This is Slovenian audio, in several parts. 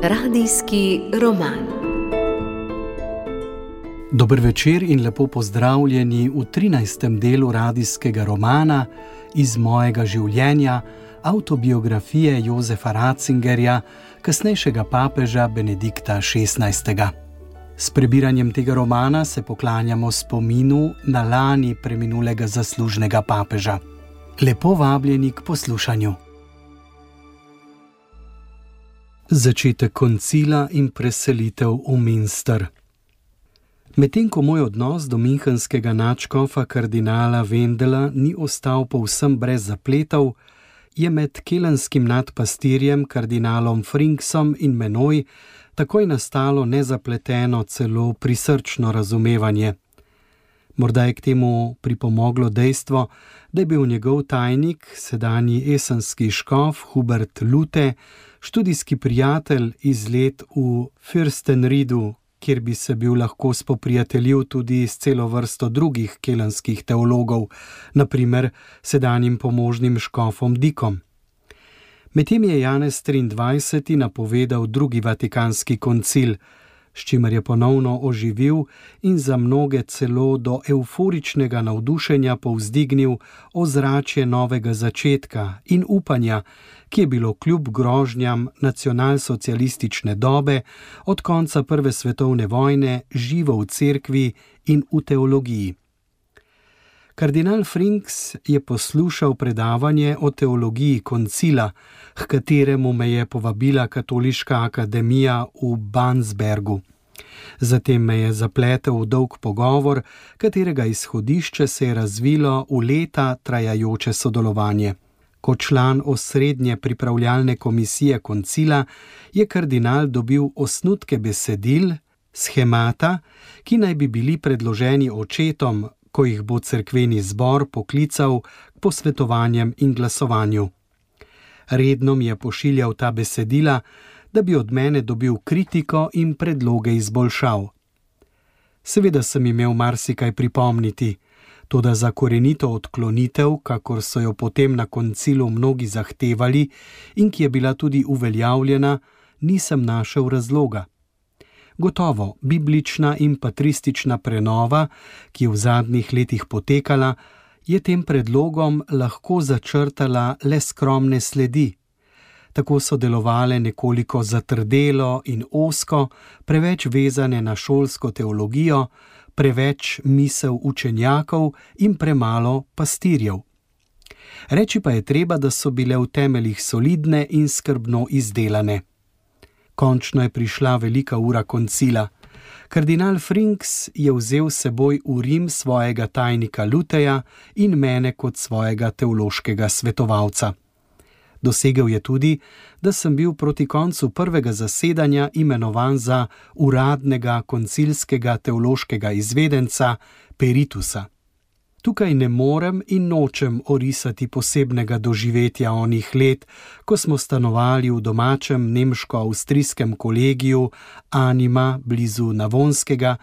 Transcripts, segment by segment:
Radijski roman. Dober večer in lepo pozdravljeni v 13. delu radijskega romana Iz mojega življenja, avtobiografije Josefa Ratzingerja, kasnejšega papeža Benedikta XVI. S prebiranjem tega romana se poklanjamo spominu na lani preminulega zaslužnega papeža. Lepo vabljeni k poslušanju. Začetek koncila in preselitev v Münster. Medtem ko moj odnos do münchenskega nadškofa kardinala Wendela ni ostal povsem brez zapletov, je med kelenskim nadpastirjem kardinalom Frinksom in menoj takoj nastalo nezapleteno, celo prisrčno razumevanje. Morda je k temu pripomoglo dejstvo, da je bil njegov tajnik, sedanji esenski škof Hubert Lute, študijski prijatelj iz let v Fürstenriedu, kjer bi se bil lahko spoprijateljil tudi s celo vrsto drugih kelenskih teologov, na primer sedanjim pomožnim škofom Dikom. Medtem je Janez 23. napovedal drugi vatikanski koncil, s čimer je ponovno oživil in za mnoge celo do evforičnega navdušenja povzdignil ozračje novega začetka in upanja, ki je bilo kljub grožnjam nacionalsocialistične dobe od konca Prve svetovne vojne živo v cerkvi in v teologiji. Kardinal Frinks je poslušal predavanje o teologiji koncila, h kateremu me je povabila Katoliška akademija v Bansbergu. Zatem me je zapletel v dolg pogovor, katerega izhodišče se je razvilo v leta trajajoče sodelovanje. Kot član osrednje pripravljalne komisije koncila je kardinal dobil osnutke besedil, shemata, ki naj bi bili predloženi očetom, ko jih bo cerkveni zbor poklical k posvetovanjem in glasovanju. Redno mi je pošiljal ta besedila, da bi od mene dobil kritiko in predloge izboljšav. Seveda sem imel marsikaj pripomniti, toda za korenito odklonitev, kakor so jo potem na koncilu mnogi zahtevali in ki je bila tudi uveljavljena, nisem našel razloga. Gotovo, biblična in patristična prenova, ki je v zadnjih letih potekala, je tem predlogom lahko začrtala le skromne sledi. Tako so delovale nekoliko zatrdelo in ozko, preveč vezane na šolsko teologijo, preveč misel učenjakov in premalo pastirjev. Reči pa je treba, da so bile v temeljih solidne in skrbno izdelane. Končno je prišla velika ura koncila. Kardinal Frinks je vzel s seboj v Rim svojega tajnika Luteja in mene kot svojega teološkega svetovalca. Dosegel je tudi, da sem bil proti koncu prvega zasedanja imenovan za uradnega koncilskega teološkega izvedenca Peritusa. Tukaj ne morem in nočem orisati posebnega doživetja onih let, ko smo stanovali v domačem nemško-avstrijskem kolegiju Anima blizu Navonskega,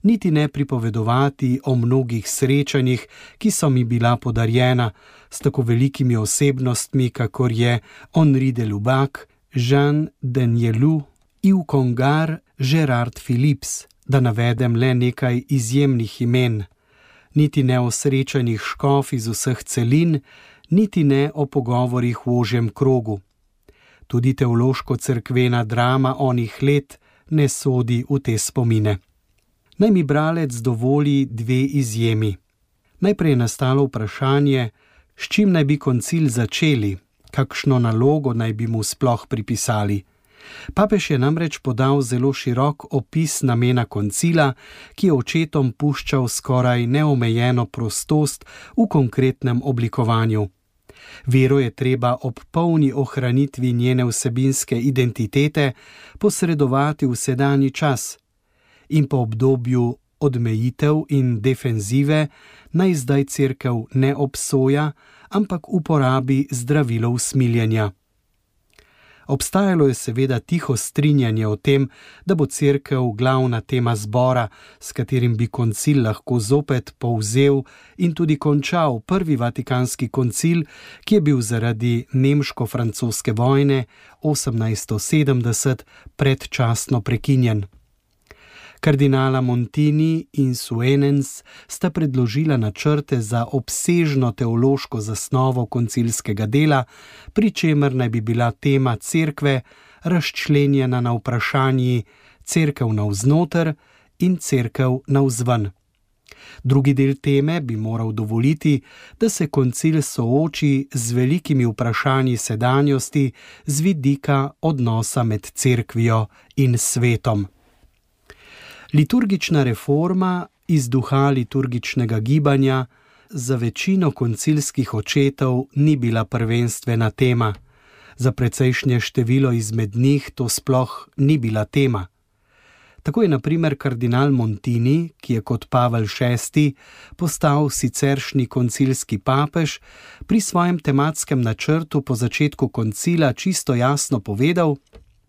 niti ne pripovedovati o mnogih srečanjih, ki so mi bila podarjena s tako velikimi osebnostmi, kakor je Henri de Lubac, Jean Danielou, Yves Congar, Gerard Philips, da navedem le nekaj izjemnih imen. Niti ne o srečanjih škof iz vseh celin, niti ne o pogovorih v ožjem krogu. Tudi teološko-cerkvena drama onih let ne sodi v te spomine. Naj mi bralec dovoli dve izjemi. Najprej je nastalo vprašanje, s čim naj bi koncil začeli, kakšno nalogo naj bi mu sploh pripisali. Papež je namreč podal zelo širok opis namena koncila, ki je očetom puščal skoraj neomejeno prostost v konkretnem oblikovanju. Vero je treba ob polni ohranitvi njene vsebinske identitete posredovati v sedanji čas in po obdobju odmejitev in defenzive naj zdaj cerkev ne obsoja, ampak uporabi zdravilo usmiljenja. Obstajalo je seveda tiho strinjanje o tem, da bo cerkev glavna tema zbora, s katerim bi koncil lahko zopet povzel in tudi končal prvi vatikanski koncil, ki je bil zaradi nemško-francoske vojne 1870 predčasno prekinjen. Kardinala Montini in Suenens sta predložila načrte za obsežno teološko zasnovo koncilskega dela, pri čemer naj bi bila tema cerkve razčlenjena na vprašanji cerkev navznoter in cerkev navzven. Drugi del teme bi moral dovoliti, da se koncil sooči z velikimi vprašanji sedanjosti z vidika odnosa med cerkvijo in svetom. Liturgična reforma iz duha liturgičnega gibanja za večino koncilskih očetov ni bila prvenstvena tema. Za precejšnje število izmed njih to sploh ni bila tema. Tako je na primer kardinal Montini, ki je kot Pavel VI postal siceršnji koncilski papež, pri svojem tematskem načrtu po začetku koncila čisto jasno povedal,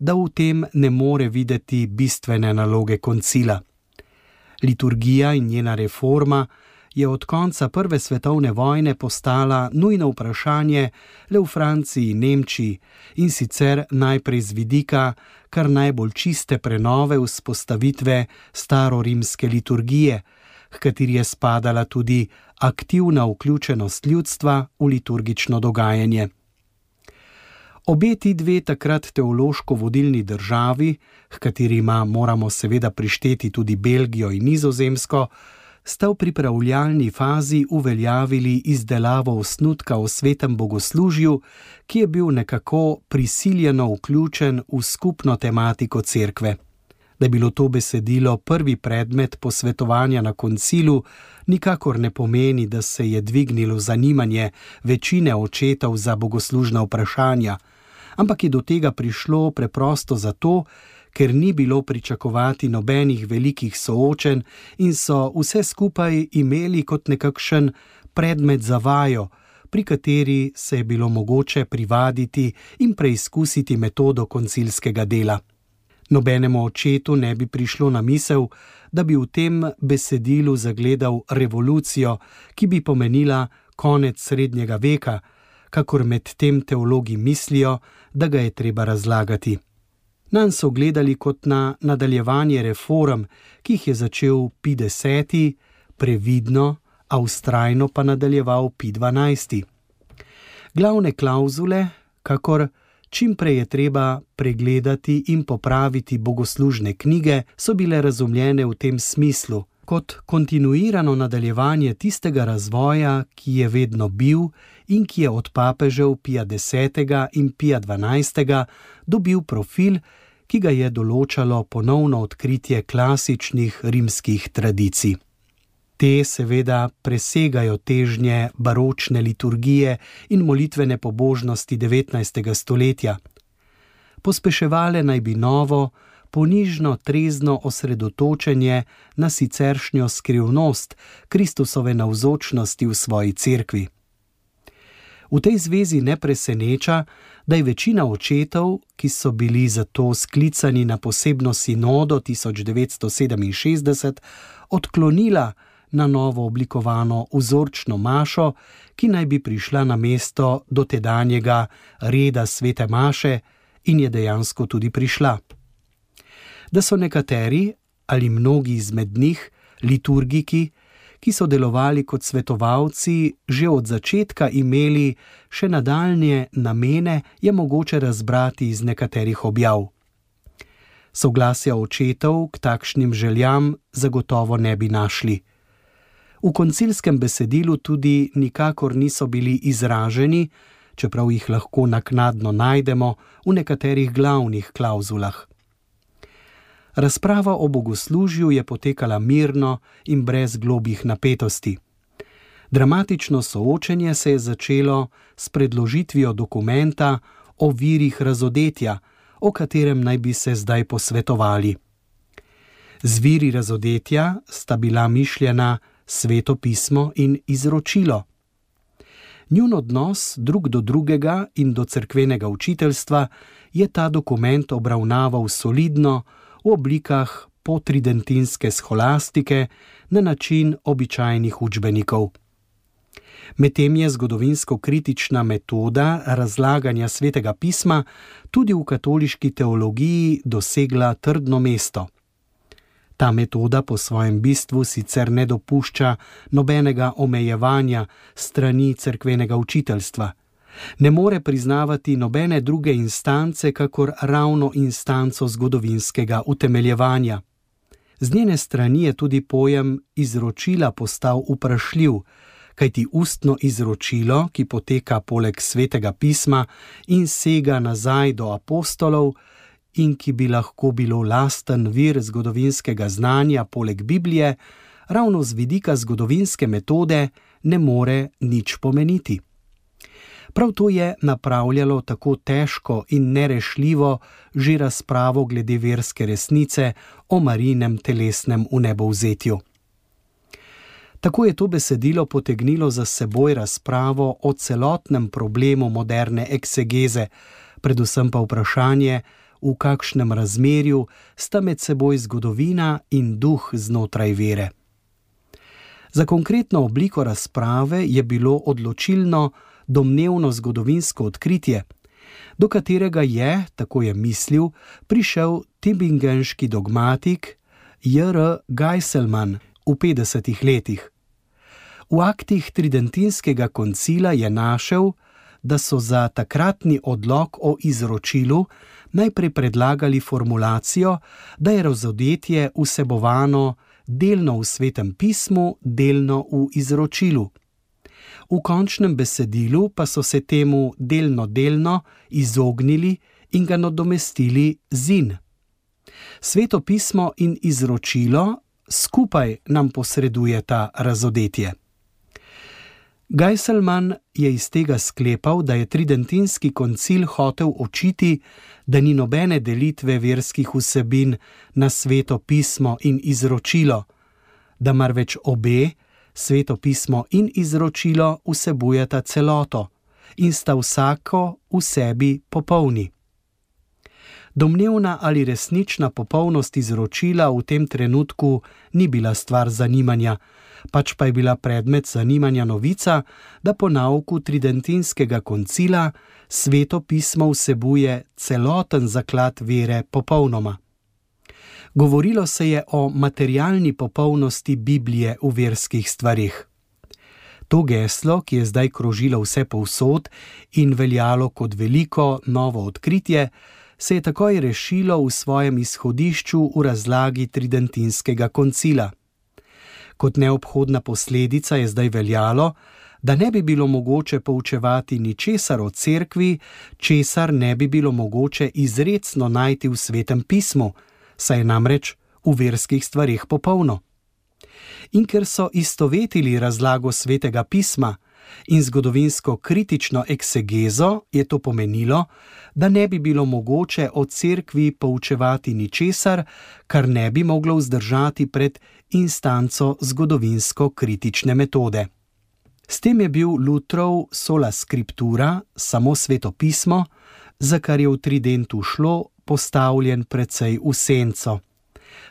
da v tem ne more videti bistvene naloge koncila. Liturgija in njena reforma je od konca prve svetovne vojne postala nujno vprašanje le v Franciji in Nemčiji, in sicer najprej z vidika kar najbolj čiste prenove vzpostavitve starorimske liturgije, h kateri je spadala tudi aktivna vključenost ljudstva v liturgično dogajanje. Obe ti dve takrat teološko vodilni državi, h katerima moramo seveda prišteti tudi Belgijo in Nizozemsko, sta v pripravljalni fazi uveljavili izdelavo osnutka o svetem bogoslužju, ki je bil nekako prisiljeno vključen v skupno tematiko cerkve. Da je bilo to besedilo prvi predmet posvetovanja na koncilu, nikakor ne pomeni, da se je dvignilo zanimanje večine očetov za bogoslužna vprašanja, ampak je do tega prišlo preprosto zato, ker ni bilo pričakovati nobenih velikih soočenj in so vse skupaj imeli kot nekakšen predmet za vajo, pri kateri se je bilo mogoče privaditi in preizkusiti metodo koncilskega dela. Nobenemu očetu ne bi prišlo na misel, da bi v tem besedilu zagledal revolucijo, ki bi pomenila konec srednjega veka, kakor med tem teologi mislijo, da ga je treba razlagati. Nanj so gledali kot na nadaljevanje reform, ki jih je začel Pij X, previdno, a vztrajno pa nadaljeval Pij XII. Glavne klavzule, kakor čim prej je treba pregledati in popraviti bogoslužne knjige, so bile razumljene v tem smislu, kot kontinuirano nadaljevanje tistega razvoja, ki je vedno bil in ki je od papežev Pija X in Pija XII dobil profil, ki ga je določalo ponovno odkritje klasičnih rimskih tradicij. Te seveda presegajo težnje baročne liturgije in molitvene pobožnosti 19. stoletja. Pospeševale naj bi novo, ponižno trezno osredotočenje na siceršnjo skrivnost Kristusove navzočnosti v svoji cerkvi. V tej zvezi ne preseneča, da je večina očetov, ki so bili zato sklicani na posebno sinodo 1967, odklonila na novo oblikovano vzorčno mašo, ki naj bi prišla na mesto dotedanjega reda svete maše, in je dejansko tudi prišla. Da so nekateri ali mnogi izmed njih, liturgiki, ki so delovali kot svetovalci, že od začetka imeli še nadaljnje namene, je mogoče razbrati iz nekaterih objav. Soglasja očetov k takšnim željam zagotovo ne bi našli. V koncilskem besedilu tudi nikakor niso bili izraženi, čeprav jih lahko naknadno najdemo v nekaterih glavnih klavzulah. Razprava o bogoslužju je potekala mirno in brez globih napetosti. Dramatično soočenje se je začelo s predložitvijo dokumenta o virih razodetja, o katerem naj bi se zdaj posvetovali. Z viri razodetja sta bila mišljena Sveto pismo in izročilo. Njun odnos drug do drugega in do cerkvenega učiteljstva je ta dokument obravnaval solidno v oblikah potridentinske scholastike na način običajnih učbenikov. Medtem je zgodovinsko-kritična metoda razlaganja Svetega pisma tudi v katoliški teologiji dosegla trdno mesto. Ta metoda po svojem bistvu sicer ne dopušča nobenega omejevanja strani cerkvenega učiteljstva. Ne more priznavati nobene druge instance, kakor ravno instanco zgodovinskega utemeljevanja. Z njene strani je tudi pojem izročila postal vprašljiv, kajti ustno izročilo, ki poteka poleg Svetega pisma in sega nazaj do apostolov in ki bi lahko bilo lasten vir zgodovinskega znanja poleg Biblije, ravno z vidika zgodovinske metode ne more nič pomeniti. Prav to je napravljalo tako težko in nerešljivo že razpravo glede verske resnice o Marijinem telesnem vnebovzetju. Tako je to besedilo potegnilo za seboj razpravo o celotnem problemu moderne eksegeze, predvsem pa vprašanje, v kakšnem razmerju sta med seboj zgodovina in duh znotraj vere. Za konkretno obliko razprave je bilo odločilno domnevno zgodovinsko odkritje, do katerega je, tako je mislil, prišel tübingenški dogmatik J.R. Geiselman v 50. letih. V aktih tridentinskega koncila je našel, da so za takratni odlok o izročilu najprej predlagali formulacijo, da je razodetje vsebovano delno v Svetem pismu, delno v izročilu. V končnem besedilu pa so se temu delno izognili in ga nadomestili z in. Sveto pismo in izročilo skupaj nam posredujeta razodetje. Geiselman je iz tega sklepal, da je tridentinski koncil hotel očiti, da ni nobene delitve verskih vsebin na Sveto pismo in izročilo, da marveč obe, Sveto pismo in izročilo, vsebujeta celoto in sta vsako v sebi popolni. Domnevna ali resnična popolnost izročila v tem trenutku ni bila stvar zanimanja, pač pa je bila predmet zanimanja novica, da po nauku tridentinskega koncila Sveto pismo vsebuje celoten zaklad vere popolnoma. Govorilo se je o materialni popolnosti Biblije v verskih stvarih. To geslo, ki je zdaj krožilo vse povsod in veljalo kot veliko novo odkritje, se je takoj rešilo v svojem izhodišču v razlagi tridentinskega koncila. Kot neobhodna posledica je zdaj veljalo, da ne bi bilo mogoče poučevati ničesar o cerkvi, česar ne bi bilo mogoče izrecno najti v Svetem pismu, saj je namreč v verskih stvarih popolno. In ker so istovetili razlago Svetega pisma in zgodovinsko kritično eksegezo, je to pomenilo, da ne bi bilo mogoče o cerkvi poučevati ničesar, kar ne bi moglo vzdržati pred instanco zgodovinsko kritične metode. S tem je bil Lutrov sola scriptura, samo Sveto pismo, za kar je v tridentu šlo, postavljen precej v senco.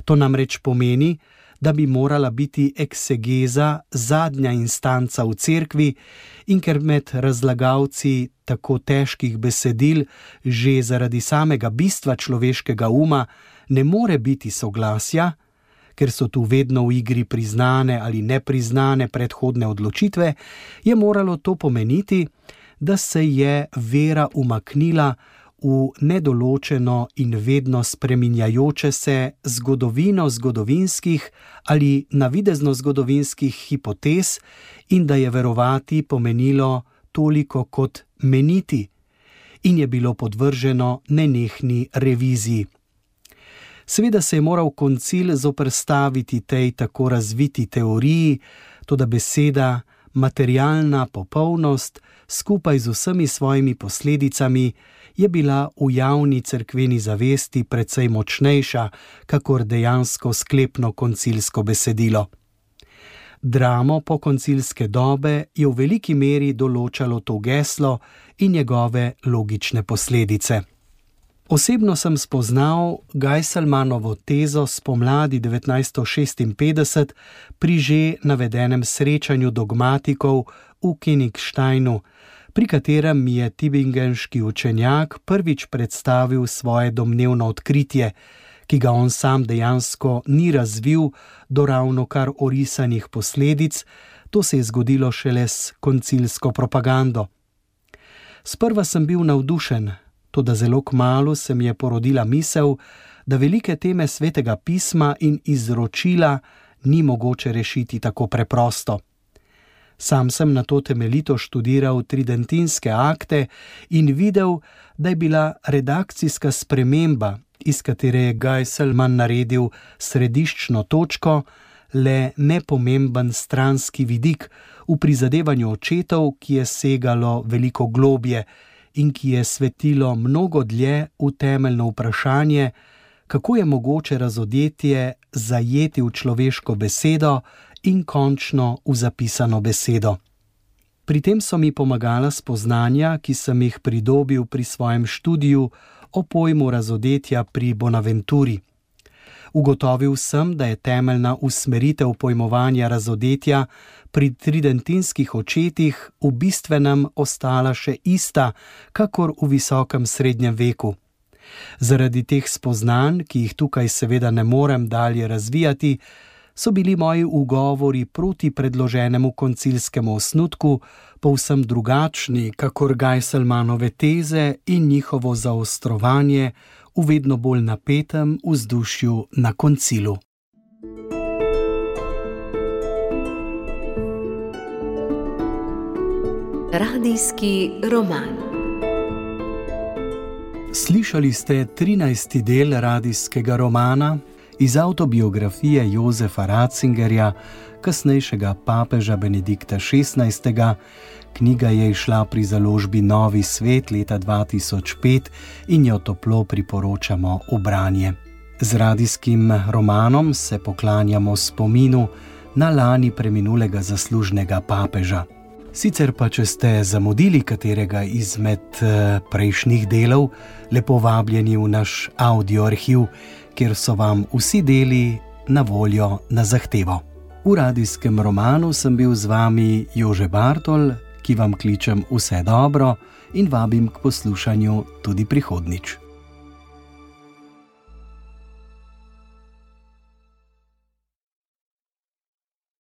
To namreč pomeni, da bi morala biti eksegeza zadnja instanca v cerkvi in ker med razlagalci tako težkih besedil že zaradi samega bistva človeškega uma ne more biti soglasja, ker so tu vedno v igri priznane ali nepriznane predhodne odločitve, je moralo to pomeniti, da se je vera umaknila v nedoločeno in vedno spreminjajoče se zgodovino zgodovinskih ali navidezno zgodovinskih hipotez in da je verovati pomenilo toliko kot meniti in je bilo podvrženo nenehni reviziji. Seveda se je moral koncil zoperstaviti tej tako razviti teoriji, toda beseda materialna popolnost skupaj z vsemi svojimi posledicami je bila v javni cerkveni zavesti precej močnejša, kakor dejansko sklepno koncilsko besedilo. Dramo pokoncilske dobe je v veliki meri določalo to geslo in njegove logične posledice. Osebno sem spoznal Geiselmanovo tezo spomladi 1956 pri že navedenem srečanju dogmatikov v Königsteinu, pri katerem mi je tübingenški učenjak prvič predstavil svoje domnevno odkritje, ki ga on sam dejansko ni razvil do ravnokar orisanih posledic, to se je zgodilo šele s koncilsko propagando. Sprva sem bil navdušen, toda zelo kmalu se mi je porodila misel, da velike teme Svetega pisma in izročila ni mogoče rešiti tako preprosto. Sam sem nato temeljito študiral tridentinske akte in videl, da je bila redakcijska sprememba, iz katere je Geiselman naredil središčno točko, le nepomemben stranski vidik v prizadevanju očetov, ki je segalo veliko globje in ki je svetilo mnogo dlje v temeljno vprašanje, kako je mogoče razodetje zajeti v človeško besedo in končno v zapisano besedo. Pri tem so mi pomagala spoznanja, ki sem jih pridobil pri svojem študiju o pojmu razodetja pri Bonaventuri. Ugotovil sem, da je temeljna usmeritev pojmovanja razodetja pri tridentinskih očetih v bistvenem ostala še ista, kakor v visokem srednjem veku. Zaradi teh spoznanj, ki jih tukaj seveda ne morem dalje razvijati, so bili moji ugovori proti predloženemu koncilskemu osnutku povsem drugačni, kakor Geiselmanove teze in njihovo zaostrovanje v vedno bolj napetem vzdušju na koncilu. Radijski roman. Slišali ste 13. del radijskega romana iz avtobiografije Josefa Ratzingerja, kasnejšega papeža Benedikta XVI. Knjiga je izšla pri založbi Novi svet leta 2005 in jo toplo priporočamo v branje. Z radijskim romanom se poklanjamo spominu na lani preminulega zaslužnega papeža. Sicer pa, če ste zamudili katerega izmed prejšnjih delov, lepo vabljeni v naš audioarhiv, kjer so vam vsi deli na voljo na zahtevo. V radijskem romanu sem bil z vami Jože Bartol, ki vam kličem vse dobro in vabim k poslušanju tudi prihodnjič.